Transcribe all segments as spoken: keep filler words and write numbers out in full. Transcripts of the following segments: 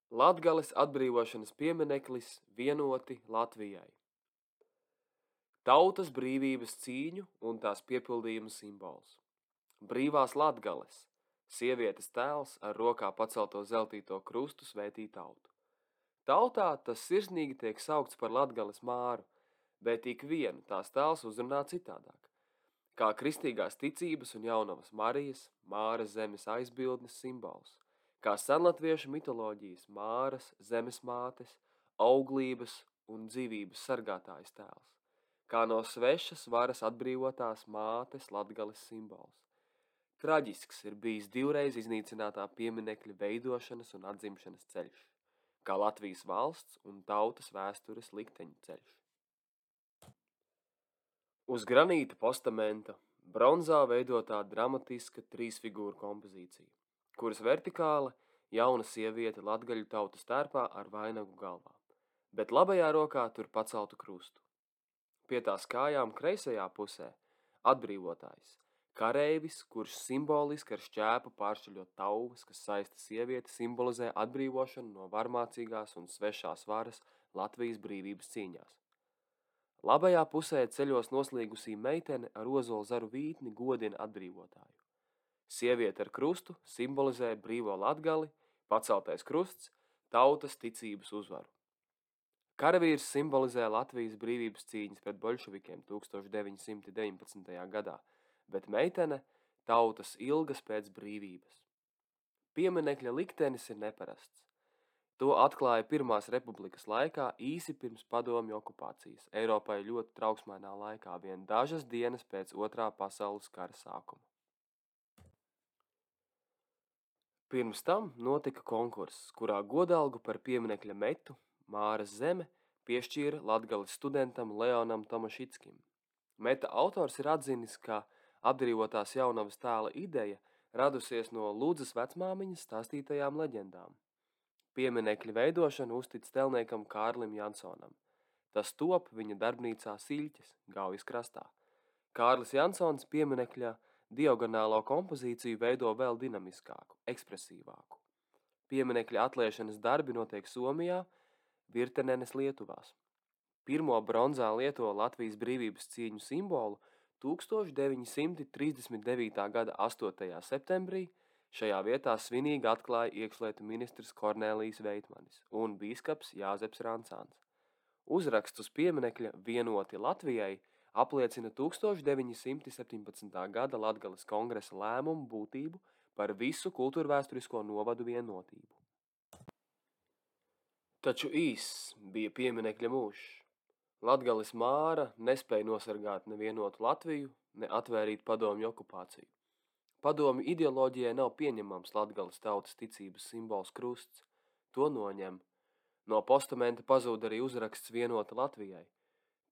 Latgales atbrīvošanas piemineklis vienoti Latvijai. Tautas brīvības cīņu un tās piepildījuma simbols. Brīvās Latgales, sievietes tēls ar rokā pacelto zeltīto krustu svētī tautu. Tautā tas sirsnīgi tiek saukts par Latgales māru, bet ik vienu tās tēls uzrunā citādāk. Kā kristīgās ticības un jaunavas Marijas, Māras zemes aizbildnes simbols, kā senlatviešu mitoloģijas Māras, zemes mātes, auglības un dzīvības sargātājas tēls, kā no svešas varas atbrīvotās mātes Latgales simbols. Traģisks ir bijis divreiz iznīcinātā pieminekļa veidošanas un atzimšanas ceļš, kā Latvijas valsts un tautas vēstures likteņu ceļš. Uz granīta postamenta bronzā veidotā dramatiska trīsfigūru kompozīcija, kuras vertikāli jauna sieviete latgaļu tautas tērpā ar vainagu galvā, bet labajā rokā tur paceltu krustu. Pie tās kājām kreisajā pusē atbrīvotājs, kareivis, kurš simboliski ar šķēpu pāršķaļot tauvas, kas saista sievieti, simbolizē atbrīvošanu no varmācīgās un svešās varas Latvijas brīvības cīņās. Labajā pusē ceļos noslīgusī meitene ar ozolu zaru vītni godina atbrīvotāju. Sieviete ar krustu simbolizē brīvo Latgali, paceltais krusts, tautas ticības uzvaru. Karavīrs simbolizē Latvijas brīvības cīņas pret boļševikiem tūkstoš deviņi simti deviņpadsmitajā gadā, bet meitene tautas ilgas pēc brīvības. Pieminekļa liktenis ir neparasts. To atklāja Pirmās republikas laikā īsi pirms padomju okupācijas, Eiropai ļoti trauksmainā laikā, vien dažas dienas pēc Otrā pasaules kara sākuma. Pirms tam notika konkurss, kurā godalgu par pieminekļa metu Māras zeme piešķīra Latgales studentam Leonam Tomašickim. Meta autors ir atzinis, ka atbrīvotās jaunavas tēla ideja radusies no Ludzas vecmāmiņas stāstītajām leģendām. Pieminekļa veidošanu uztic tēlniekam Kārlim Jansonam. Tas top viņa darbnīcā Siļķes, Gaujas krastā. Kārlis Jansons pieminekļa diagonālo kompozīciju veido vēl dinamiskāku, ekspresīvāku. Pieminekļa atliešanas darbi notiek Somijā, Virtenenes Lietuvās. Pirmo bronzā lieto Latvijas brīvības cīņu simbolu tūkstoš deviņi simti trīsdesmit devītā gada astotajā septembrī šajā vietā svinīgi atklāja iekšlietu ministrs Kornēlijs Veitmanis un bīskaps Jāzeps Rancāns. Uzraksts uz pieminekļa vienoti Latvijai apliecina tūkstoš deviņi simti septiņpadsmitā gada Latgales kongresa lēmumu būtību par visu kultūrvēsturisko novadu vienotību. Taču īss bija pieminekļa mūžs. Latgales māra nespēja nosargāt nevienotu Latviju, ne atvērīt padomju okupāciju. Padomju ideoloģijai nav pieņemams Latgales tautas ticības simbols krusts. To noņem. No postamenta pazūd arī uzraksts vienota Latvijai,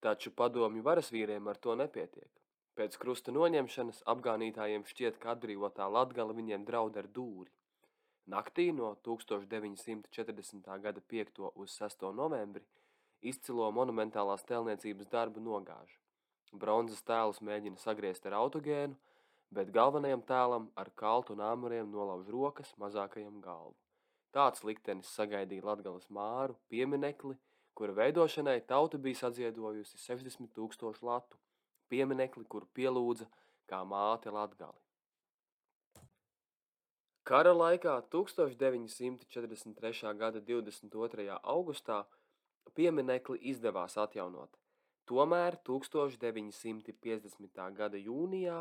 taču padomju varasvīriem ar to nepietiek. Pēc krusta noņemšanas apgānītājiem šķiet, ka atbrīvotā Latgale viņiem draud ar dūri. Naktī no tūkstoš deviņi simti četrdesmitā gada piekto uz sesto novembri izcilo monumentālās tēlniecības darbu nogāž. Bronzas tēlus mēģina sagriezt ar autogēnu, bet galvenajam tēlam ar kaltu un āmuriem nolauž rokas, mazākajam galvu. Tāds liktenis sagaidīja Latgales māru, pieminekli, kura veidošanai tauta bija sadziedojusi sešdesmit tūkstošu latu, pieminekli, kuru pielūdza kā māte Latgali. Kara laikā tūkstoš deviņi simti četrdesmit trešā gada divdesmit otrajā augustā pieminekli izdevās atjaunot. Tomēr tūkstoš deviņi simti piecdesmitā gada jūnijā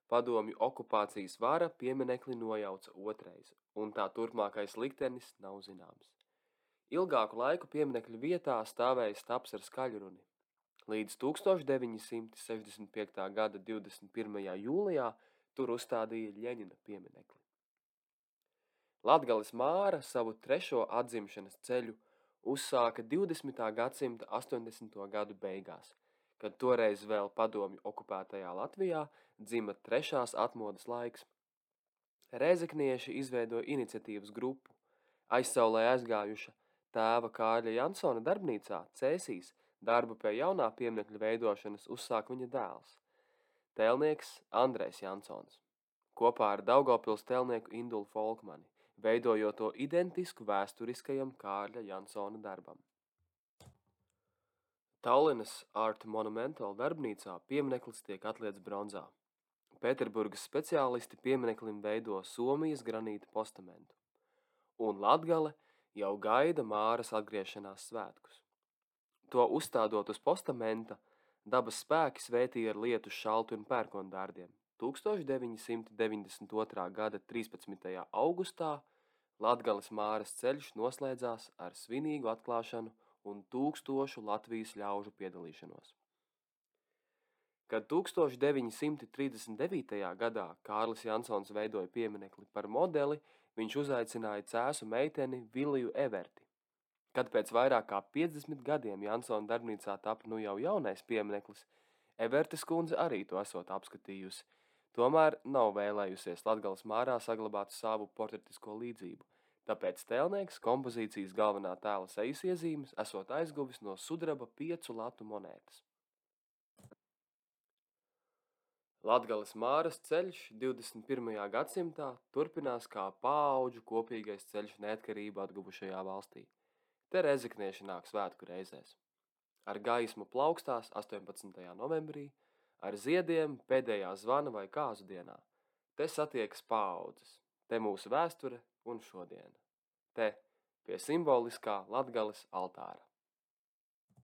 padomju okupācijas vara pieminekli nojauca otrais, un tā turpmākais liktenis nav zināms. Ilgāku laiku pieminekļa vietā stāvēja stabs ar skaļruni. Līdz tūkstoš deviņi simti sešdesmit piektā gada divdesmit pirmajā jūlijā tur uzstādīja Ļeņina pieminekli. Latgales māra savu trešo atzimšanas ceļu uzsāka divdesmitā gadsimta astoņdesmito gadu beigās, kad toreiz vēl padomju okupētajā Latvijā dzima trešās atmodas laiks. Rēzeknieši izveidoja iniciatīvas grupu. Aizsaulē aizgājuša tēva Kārļa Jansona darbnīcā Cēsīs darbu pie jaunā pieminekļa veidošanas uzsāk viņa dēls, tēlnieks Andrejs Jansons. Kopā ar Daugavpils tēlnieku Indulu Folkmani veidojot to identisku vēsturiskajam Kārļa Jansona darbam. Tallinas Art Monumental darbnīcā piemineklis tiek atliets bronzā. Pēterburgas speciālisti piemineklim veido Somijas granīta postamentu, un Latgale jau gaida Māras atgriešanās svētkus. To uzstādot uz postamenta, dabas spēki svētīja ar lietu šaltu un pērkondārdiem. tūkstoš deviņi simti deviņdesmit otrā gada trīspadsmitajā augustā Latgales Māras ceļš noslēdzās ar svinīgu atklāšanu un tūkstošu Latvijas ļaužu piedalīšanos. Kad tūkstoš deviņi simti trīsdesmit devītajā gadā Kārlis Jansons veidoja pieminekli par modeli, viņš uzaicināja cēsu meiteni Viliju Everti. Kad pēc vairāk kā piecdesmit gadiem Jansona darbnīcā tapa nu jau jaunais piemineklis, Evertes kundze arī to esot apskatījusi, tomēr nav vēlējusies Latgales Mārā saglabāt savu portretisko līdzību, tāpēc tēlnieks kompozīcijas galvenā tēla sejas iezīmes esot aizguvis no sudraba piecu latu monētas. Latgales Māras ceļš divdesmit pirmajā gadsimtā turpinās kā paauģu kopīgais ceļš neatkarību atguvušajā valstī. Te rezeknieši nāk svētku reizēs. Ar gaismu plaukstās astoņpadsmitajā novembrī, ar ziediem pēdējā zvana vai kāzu dienā. Te satiekas paaudzes, te mūsu vēsture un šodiena. Te pie simboliskā Latgales altāra.